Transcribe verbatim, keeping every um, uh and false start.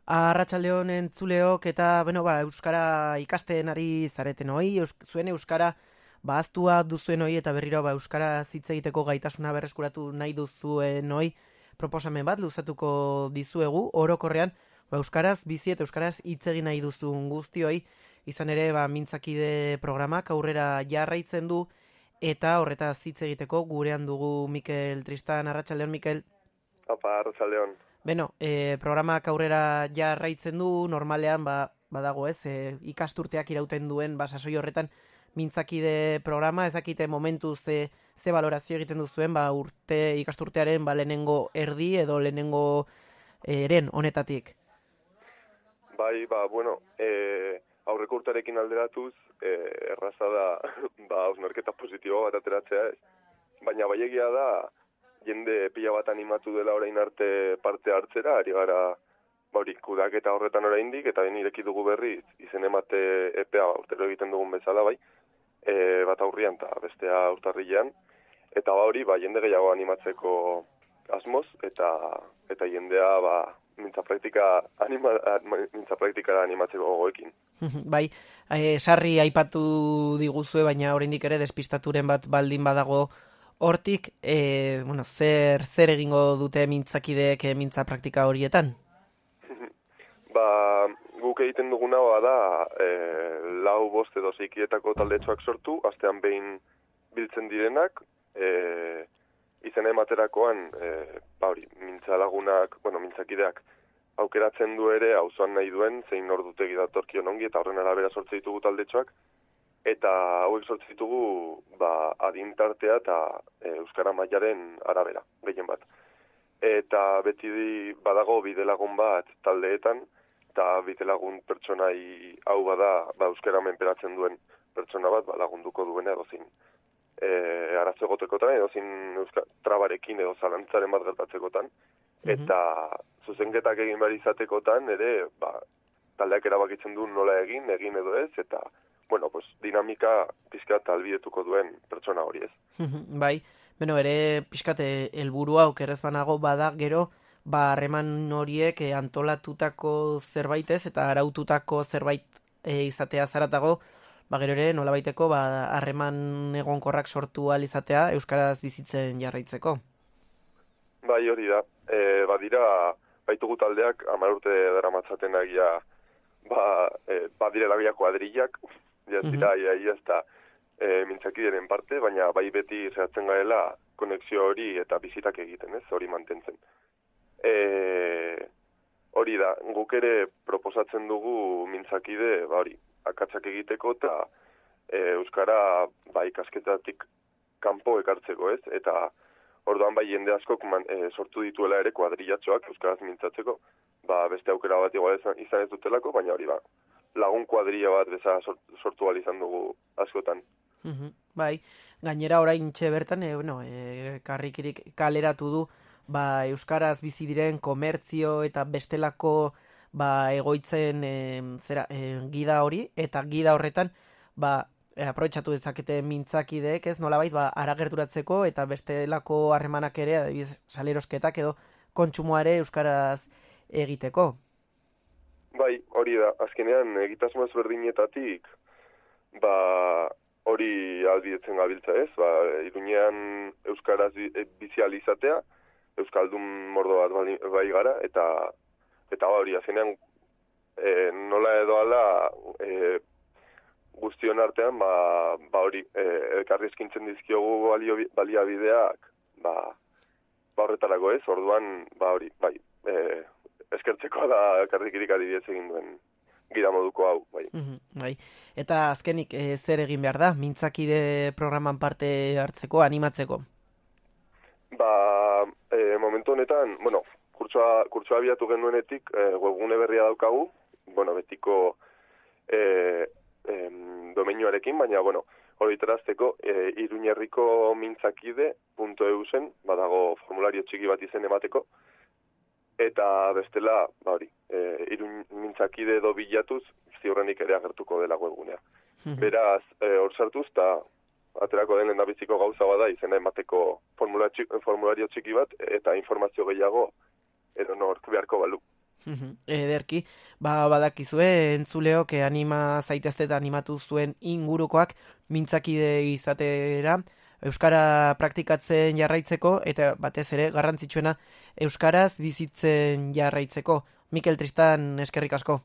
Arratsaldeon entzuleok eta bueno, ba, euskara ikasten ari zareten hoi, eus, zuen euskara ba ahaztua duzuen hoi eta berriro ba euskara hitz egiteko gaitasuna berreskuratu nahi duzuen hoi proposamen bat luzatuko dizuegu orokorrean ba euskaraz bizi eta euskaraz hitz egin nahi duzun guztioi izan ere ba mintzakide programak aurrera jarraitzen du eta horretaz hitz egiteko gurean dugu Mikel Tristan. Arratsaldeon Mikel. Apa, arratsaldeon. Beno, e, programak aurrera jarraitzen du, normalean ba, badago ez, e, ikasturteak irauten duen ba, sasoi horretan mintzakide programa, ezakite momentu ze, ze valorazio egiten duzuen ba, urte ikasturtearen ba, lehenengo erdi edo lehenengo e, eren honetatik. Bai, ba, bueno, e, aurreko urtarekin alderatuz, e, erraza da, ba, hausnarketa positibo bat ateratzea ez. Baina bai egia da, jende pila bat animatu dela orain arte parte hartzera, ari gara bauri kudaketa horretan oraindik eta ben ireki dugu berriz izen emate epea urtero egiten dugun bezala bai, e, bat aurrian eta bestea urtarrilean, eta ba hori ba, jende gehiago animatzeko asmoz eta eta jendea ba, mintza praktika anima, mintza praktikara animatzeko gogoekin. Bai, e, sarri aipatu diguzue, baina oraindik ere despistaturen bat baldin badago hortik, e, bueno, zer, zer egingo dute mintzakideek e, mintza praktika horietan? Ba, guk egiten duguna da e, lau bost edo zeikietako taldetxoak sortu, astean behin biltzen direnak, e, izena ematerakoan, e, ba hori, mintza lagunak, bueno, mintzakideak aukeratzen du ere, auzoan nahi duen, zein ordutegi datorkion ongi, eta horren arabera sortze ditugu taldetxoak, eta hauek sortze ditugu ba, adintartea eta e, euskara mailaren arabera, gehien bat. Eta beti badago bidelagun bat taldeetan, eta bidelagun pertsonai hau bada ba, euskara menperatzen duen pertsona bat ba, lagunduko duena edozin e, arazo egotekotan, edozin euskara trabarekin edo zalantzaren bat gertatzekotan, eta zuzenketak egin behar izatekotan ere ba, taldeak erabakitzen du nola egin, egin edo ez, eta bueno, pues, dinamika pizkat albidetuko duen pertsona hori ez. Bai, beno, ere pizkate helburua okerrez banago bada gero, ba harreman horiek e, antolatutako zerbait ez, eta araututako zerbait e, izatea zaratago, ba gero ere nolabaiteko ba harreman egonkorrak sortu ahal izatea euskaraz bizitzen jarraitzeko. Bai, hori da. E, badira, baitugu taldeak hamar urte daramatzaten agia ba, e, badirela bia kuadrillak, ja ez dira, ia, ia ez da e, mintzakideren parte, baina bai beti zehatzen gaela konexio hori eta bizitak egiten, ez, hori mantentzen. E, hori da, guk ere proposatzen dugu mintzakide, ba hori, akatsak egiteko eta e, euskara ba, ikasketatik kanpo ekartzeko, ez, eta orduan bai jende askok man, e, sortu dituela ere kuadrillatxoak euskaraz mintzatzeko, ba beste aukera bat igual izan ez dutelako, baina hori ba, lagun kuadrilla bat beza sortu ahal izan dugu askotan. Uhum, bai, gainera orain txe bertan, e, bueno, e, karrikirik kaleratu du, ba, euskaraz bizi diren komertzio eta bestelako ba, egoitzen e, zera, e, gida hori, eta gida horretan, ba, e, aprobetxatu dezakete mintzakideek, ez nolabait, ba, aragerturatzeko eta bestelako harremanak ere, adibiz, salerosketak edo kontsumoare euskaraz egiteko. Bai, hori da, azkenean egitasmo ezberdinetatik, ba, hori albidetzen gabiltza ez, ba, Iruñean euskaraz bizializatea, euskaldun mordo bat bai, bai gara, eta eta hori, azkenean e, nola edo ala e, guztion artean, ba, ba hori, e, elkarri eskintzen dizkiogu balio, baliabideak, ba, ba horretarako ez, orduan, ba hori, bai, e, eskertzeko da karrikirik adibidez egin duen gira moduko hau, bai. Mm-hmm, bai. Eta azkenik e, zer egin behar da, mintzakide programan parte hartzeko, animatzeko? Ba, e, momentu honetan, bueno, kurtsoa, kurtsoa abiatu genuenetik, e, webgune berria daukagu, bueno, betiko e, e, domenioarekin, baina, bueno, hori terazteko, e, iruñerriko mintzakide punto e u zen, badago formulario txiki bat izen emateko, eta bestela, ba hori, e, irun mintzakide edo bilatuz, ziurrenik ere agertuko dela webgunea. Mm-hmm. Beraz, hor e, sartuz, eta aterako den lehendabiziko gauza bada izena emateko formulario txiki bat, eta informazio gehiago edo nork beharko balu. Mhm, ederki, ba, badakizue, entzuleok eh, anima zaitezte eta animatu zuen ingurukoak mintzakide izatera, Euskara praktikatzen jarraitzeko, eta batez ere garrantzitsuena Euskaraz bizitzen jarraitzeko. Mikel Tristan, eskerrik asko.